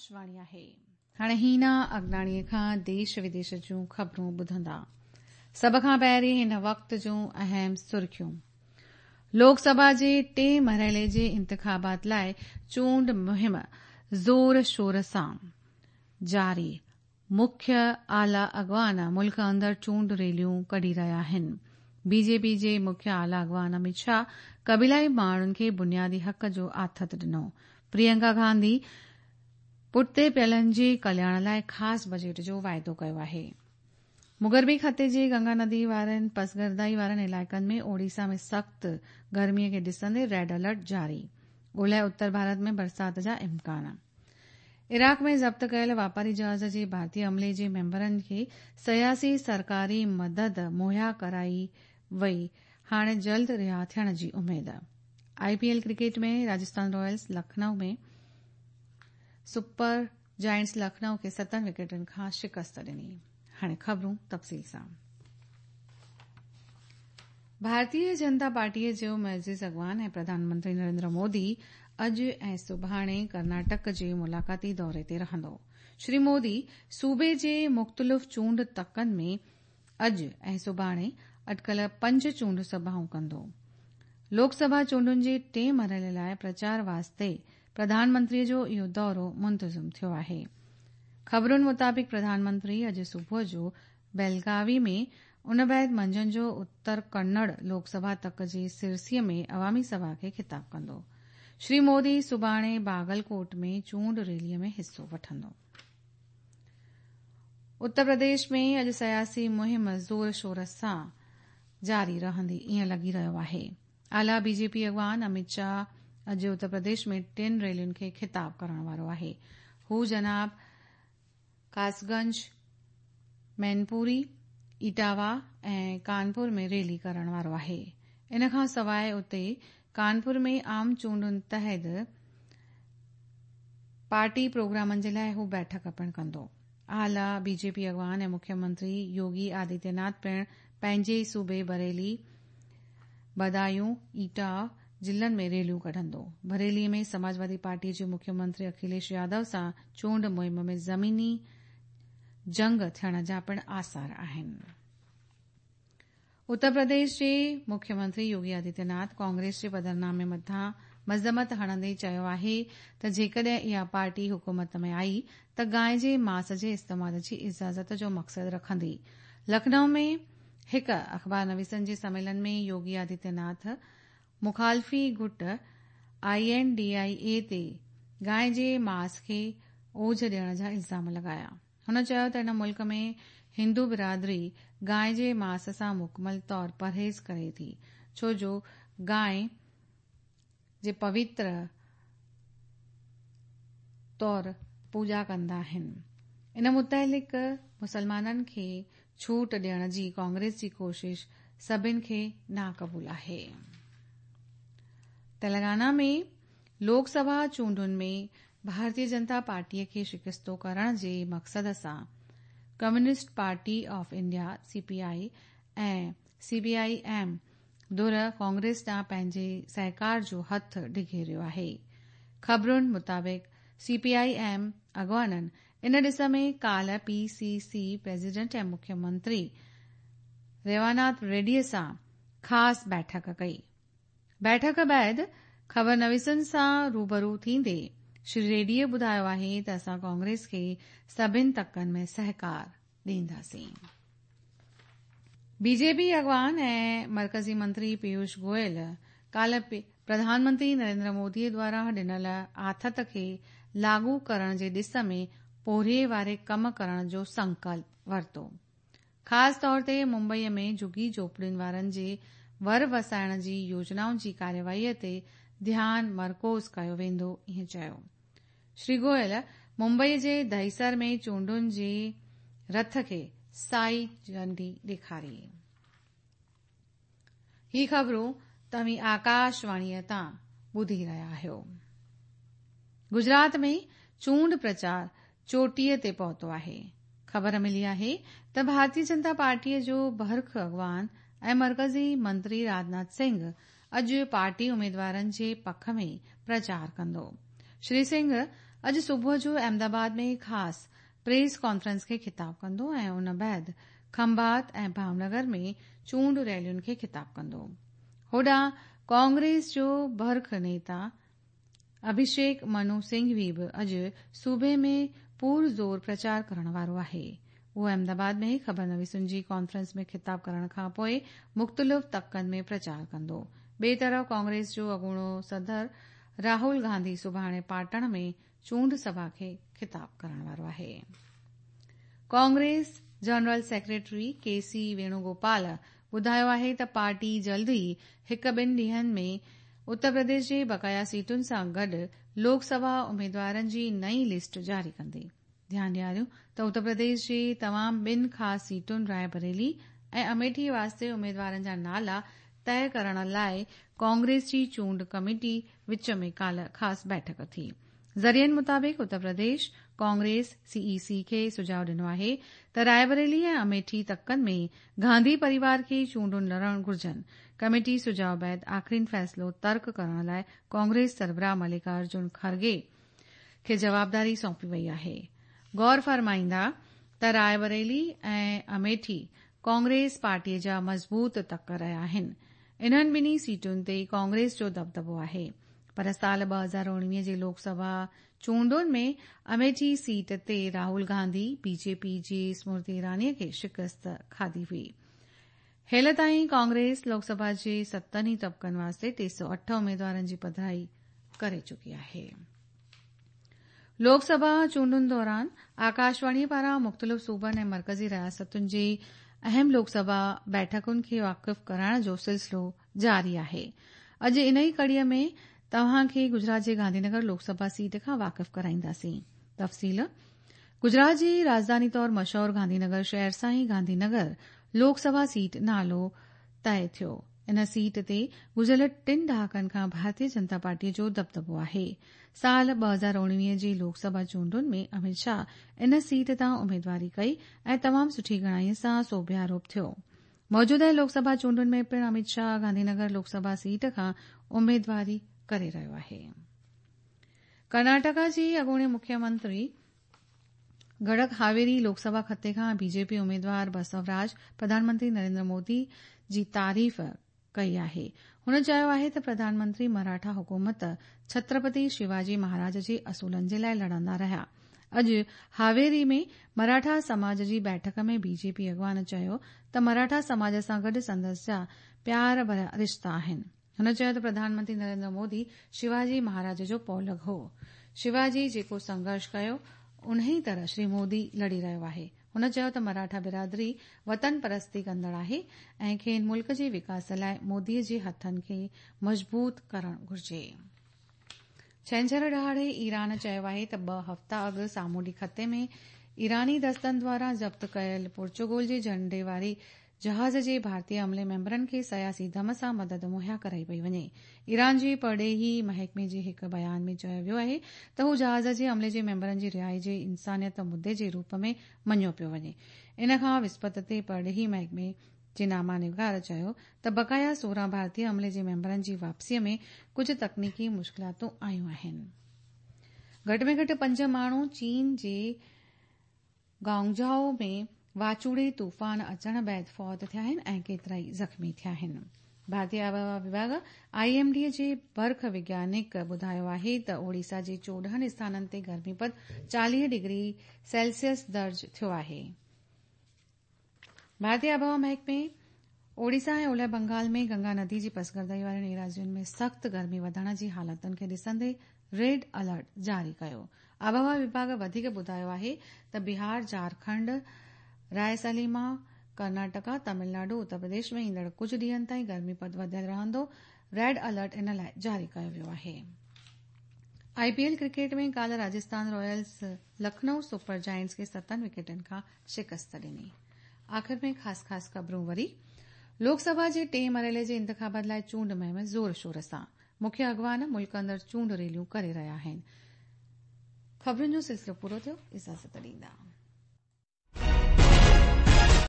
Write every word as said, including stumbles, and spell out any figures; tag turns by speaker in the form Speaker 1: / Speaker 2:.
Speaker 1: आकाशवाणी आहे। हाणे हीना अगनाणीअ खां देश विदेश जूं ख़बरूं ॿुधंदा। सभ खां पहिरीं हिन वक़्त जूं अहम सुर्खियूं। लोकसभा जे टे मरहले जे इंतिखाबात लाइ चूंड मुहिम ज़ोर शोर सां जारी। मुख्य आला अॻवान मुल्क अंदरि चूंड रैलियूं कढी रहिया आहिनि। बीजेपी जे मुख्य आला अॻवान अमित शाह क़बीलाई माण्हुनि खे बुनियादी हक़ जो आथत ॾिनो। प्रियंका गांधी पुठिते पियलनि जे कल्याण लाइ ख़ासि बजट जो वाइदो कयो आहे। मुगरबी खिते जे गंगा नदी वारनि पसगर्दाई वारनि इलाइक़नि में ओडिशा में सख़्तु गर्मीअ खे ॾिसंदे रेड अलर्ट जारी। ओलह उत्तर भारत में बरसाति जा इम्कान। इराक़ में ज़ब्त कयल वापारी जहाज़ जे भारतीय अमले जे मेंबरनि खे सियासी सरकारी मदद मुहैया कराई वई, हाणे जल्द रिहा थियण जी उमेद। आईपीएल क्रिकेट में राजस्थान रॉयल्स लखनऊ में सुपर जायंट्स लखनऊ खे सतनि विकेटनि खां शिकस्त ॾिनी। हाणे ख़बरूं तफ़सील सां। भारतीय जनता पार्टीअ जो मुअज़िज़ अॻवान ऐं प्रधानमंत्री नरेंद्र मोदी अॼु ऐं सुभाणे कर्नाटक जे मुलाक़ाती दौरे ते रहंदो। श्री मोदी सूबे जे मुख़्तलिफ़ चूंड तकनि में अॼु ऐं सुभाणे अटकल पंज चूंड सभाऊं कंदो। लोकसभा चूंडुनि जे टे मरहले लाइ प्रचार वास्ते प्रधानमंत्रीअ जो इहो दौरो मुंतज़िम थियो आहे। ख़बरुनि मुताबिक़ प्रधानमंत्री अॼु सुबुह जो बेलगावी में उन बाद मंझंदि जो उत्तर कन्नड़ लोकसभा तक जे सिरसीअ में अवामी सभा खे ख़िताब कंदो। श्री मोदी सुभाणे बागलकोट में चूंड रैलीअ में हिसो वठंदो। उत्तर प्रदेश में अॼु सियासी मुहिम ज़ोर शोर सां जारी रहंदी ईअं लॻी रहियो आहे। आला बीजेपी अॻवान अमित शाह अॼु उत्तर प्रदेश में टिनि रैलियुनि खे ख़िताब करण वारो आहे। हू जनाब कासगंज, मैनपुरी, इटावा ऐं कानपुर में रैली करण वारो आहे। इन खां सवाइ उते कानपुर में आम चूंडुनि तहत पार्टी प्रोग्रामनि जे लाइ हू बैठक पिणु कंदो। आला बीजेपी अॻवान ऐं मुख्यमंत्री योगी आदित्यनाथ पिणु पंहिंजे सूबे बरेली, बदायूं, ईटा ज़िलनि में रैलियूं कढंदो। बरेली में समाजवादी पार्टी जे मुख्यमंत्री अखिलेश यादव सां चूंड मुहिम में ज़मीनी जंग थियण जा पिणु आसार आहिनि। उत्तर प्रदेश जे मुख्यमंत्री योगी आदित्यनाथ कांग्रेस जे पधरनामे मथां मज़म्मत हणंदे चयो आहे त जेकॾहिं इहा पार्टी हुकूमत में आई त गाय जे मांस जे इस्तेमाल जी इजाज़त जो मक़सदु रखंदी। लखनऊ में हिकु अख़बार नवीसनि जे सम्मेलन में योगी आदित्यनाथ मुखालफ़ी गुट I N D I ए ते गाय जे मांस खे ओझ ॾियण जा इल्ज़ाम लॻाया। हुन चयो त हिन मुल्क में हिंदू बिरादरी गाय जे मांस सां मुकमल तौर परहेज़ करे थी, छो जो गाय जे पवित्र तौर पूॼा कंदा आहिनि। इन मुतालिक़ मुसलमाननि खे छूट ॾियण जी कांग्रेस जी कोशिश सभिनि खे नाक़बूल आहे। तेलंगाना में लोकसभा चूंडुनि में भारतीय जनता पार्टीअ खे शिकिस्तो करण जे मक़सद सां communist party of India C P I ऐं सीपीआई एम धुर कांग्रेस ॾांहुं पंहिंजे सहकार जो हथु डिघेरियो आहे। ख़बरुनि मुताबिक़ सीपीआई एम अॻवाननि इन ॾिस में काल्ह पीसीसी प्रेसिडेंट ऐं मुख्यमंत्री रेवानाथ रेड्डीअ सां ख़ासि बैठक कई। बैठक बाद ख़बर नवीसनि सां रूबरू थींदे श्री रेड्डीअ ॿुधायो आहे त असां कांग्रेस खे सभिनि तकनि में सहकार ॾींदासीं। बीजेपी अॻवान ऐं मर्कज़ी मंत्री पीयूष गोयल काल्ह प्रधानमंत्री नरेंद्र मोदीअ द्वारा ॾिनल आथत खे लागू करण जे ॾिस में पोरिये वारे कम करण जो संकल्प वरितो। ख़ासि तौर ते मुंबईअ में झुगी झोपड़ियुनि वारनि जे वर वसाइण जी योजनाउनि जी कार्यवाहीअ ते ध्यानु मरकूज़ कयो वेंदो, ईअं चयो। श्री गोयल मुंबई जे दहिसर में चूंडुनि जे रथ खे साई झंडी ॾेखारी। ही ख़बरूं तव्हीं आकाशवाणीअ तां ॿुधी रहिया आहियो। गुजरात में चूंड प्रचार चोटीअ ते पहुतो आहे। ख़बर मिली आहे त भारतीय जनता पार्टीअ जो बरख अॻवान ऐं मर्कज़ी मंत्री राजनाथ सिंह अॼु पार्टी उमेदवारनि जे पख में प्रचार कंदो। श्री सिंह अॼु सुबुह जो अहमदाबाद में ख़ासि प्रेस कॉन्फ्रेंस खे ख़िताब कंदो ऐं उन बाद खंभात ऐं भावनगर में चूंड रैलियुनि खे ख़िताब कंदो। होॾां कांग्रेस जो बर्ख नेता अभिषेक मनु सिंघवी बि अॼु सूबे में पुरज़ोर प्रचार करण वारो आहे। उहो अहमदाबाद में ख़बरनवीसुनि जी कॉन्फ्रेंस में ख़िताब करण खां पोइ मुख़्तलिफ़ तकनि में प्रचार कंदो। ॿिए तरफ़ कांग्रेस जो अॻूणो सदर राहुल गांधी सुभाणे पाटण में चूंड सभा खे ख़िताब करण वारो आहे। Congress general secretary K C Venugopal ॿुधायो आहे त पार्टी जल्द ई हिक ॿिनि ॾींहंनि में उत्तर प्रदेश जे बकाया सीटुनि सां गॾु लोकसभा उमेदवारनि जी नई लिस्ट जारी कंदी। ध्यानु ॾियारियो त उत्तर प्रदेश जे तमामु ॿिनि ख़ासि सीटुनि रायबरेली ऐं अमेठी वास्ते उमेदवारनि जा नाला तय करण लाइ कांग्रेस जी चूंड कमेटी विच में काल्ह ख़ासि बैठक थी। ज़रियनि मुताबिक़ उत्तर प्रदेश कांग्रेस सीईसी खे सुझाव ॾिनो आहे त रायबरेली ऐं अमेठी तकनि में गांधी परिवार खे चूंडुनि लड़णु घुर्जनि। कमेटी सुझाव बाद आख़िरीन फ़ैसिलो तर्क करण लाइ कांग्रेस सरबराह मल्लिकार्जुन खड़गे खे जवाबदारी सौंपी वई आहे। गौर फरमाईंदा त रायबरेली ऐं अमेठी कांग्रेस पार्टीअ जा मज़बूत तक रहिया आहिनि। इन्हनि ॿिन्ही सीटुनि ते कांग्रेस जो दबदबो आहे, पर साल ॿ हज़ार उणिवीह जे लोकसभा चूंडुनि में अमेठी सीट ते राहुल गांधी बीजेपी जी स्मृति ईरानीअ खे शिकस्त खाधी हुई। हेल ताईं कांग्रेस लोकसभा जे सतनि ई तबक़नि वास्ते टे सौ अठ उमेदवारनि जी पधराई करे चुकी आहे। लोकसभा चूंडुनि दौरान आकाशवाणीअ पारां मुख़्तलिफ़ सूबनि ऐं मर्कज़ी रियासतुनि जे अहम लोकसभा बैठकुनि खे वाक़िफ़ कराइण जो सिलसिलो जारी आहे। अॼु इन ई कड़ीअ में तव्हां खे गुजरात जे गांधीनगर लोकसभा सीट खां वाक़िफ़ कराईंदासीं। तफ़सील गुजरात जी राजधानी तौर मशहूर गांधीनगर शहर सां ई गांधीनगर लोकसभा सीट नालो तय थियो। इन सीट ते गुज़िरियल टिनि ॾहाकनि खां भारतीय जनता पार्टीअ जो दबदबो आहे। साल ॿ हज़ार उणिवीह जे लोकसभा चूंडुनि में अमित शाह इन सीट तां उमेदवारी कई ऐं तमामु सुठी घणाईअ सां सोभियारोप थियो। मौजूदा लोकसभा चूंडुनि में पिणु अमित शाह गांधीनगर लोकसभा सीट खां उमेदवारी करे रहियो आहे। कर्नाटका जी अॻूणे मुख्यमंत्री गड़क हावेरी लोकसभा खिते खां बीजेपी उमेदवार बसवराज प्रधानमंत्री नरेंद्र मोदी जी तारीफ़ कई आहे। हुन चयो आहे त प्रधानमंत्री मराठा हुकूमत छत्रपति शिवाजी महाराज जे असूलनि जे लाइ लड़ंदा रहिया। अॼु हावेरी में मराठा समाज जी बैठक में बीजेपी अॻवान चयो त मराठा समाज सां गॾु संदसि जा प्यार भरिया रिश्ता आहिनि। हुन चयो त प्रधानमंत्री नरेंद्र मोदी शिवाजी महाराज जो पौलग हो। शिवाजी जेको संघर्ष कयो उन ई तरह श्री मोदी लड़ी रहियो आहे। हुन चयो त मराठा बिरादरी वतन परस्ती कंदड़ आहे ऐं खेनि मुल्क जे विकास लाइ मोदीअ जे हथनि खे मज़बूत करणु घुर्जे। छंछर ॾिहाड़े ईरान चयो आहे त ॿ हफ़्ता अॻु सामुंडी खिते में ईरानी दस्तनि द्वारा ज़ब्त कयल पोर्चुगल जे झंडे वारे जहाज़ जे भारतीय अमले मेंबरनि खे सियासी दम सां मदद मुहैया कराई पई वञे। ईरान जे परॾेही महकमे जे हिकु बयान में चयो वियो आहे त हू जहाज़ जे अमले जे मेंबरनि जी रिहाई जे इंसानियत मुद्दे जे रूप में मञियो पियो वञे। इन खां विस्पत ते परॾेही महकमे जे नामा निगार चयो त बकाया सोरहं भारतीय अमले जे मेंबरनि जी वापसीअ में कुझु तकनीकी मुश्किलातूं आयूं आहिनि। घटि में घटि पंज माण्हू चीन जे गांगझाओ में वाचूड़े तूफ़ान अचण बाद फौत थिया आहिनि ऐं केतिरा ई ज़ख़्मी थिया आहिनि। भारतीय आबहावा विभाग आईएमडी जे बर्ख वैज्ञानिक ॿुधायो आहे त ओडिशा जे चोॾहं स्थाननि ते गर्मी पद चालीह डिग्री सेल्सियस दर्ज थियो आहे। भारतीय आबहावा महकमे ओडिशा ऐं ओलह बंगाल में गंगा नदी जी पसगर्दाई वारनि एराज़ियुनि में सख़्तु गर्मी वधण जी हालतुनि खे ॾिसंदे रेड अलर्ट जारी कयो। आबहावा विभाग वधीक ॿुधायो आहे त बिहार, झारखंड, रायसलीमा, कर्नाटका, तमिलनाडु, उत्तर प्रदेश में ईंदड़ कुझु ॾींहंनि ताईं गर्मी पद वधियल रहंदो। रेड अलर्ट इन लाइ जारी कयो वियो आहे। आईपीएल क्रिकेट में काल्ह Rajasthan Royals Lucknow Super Giants खे सतनि विकेटनि खां शिकस्त ॾिनी। आख़िर में ख़ासि ख़ासि ख़बरूं वरी। लोकसभा जे टे मरहले जे इंतिख़ाबात लाइ चूंड मुहिम ज़ोर शोर सां। मुख्य अॻवान मुल्क अंदरि चूंड रैलियूं करे रहिया आहिनि। ख़बरुनि जो सिलसिलो पूरो थियो। इजाज़त ॾींदा।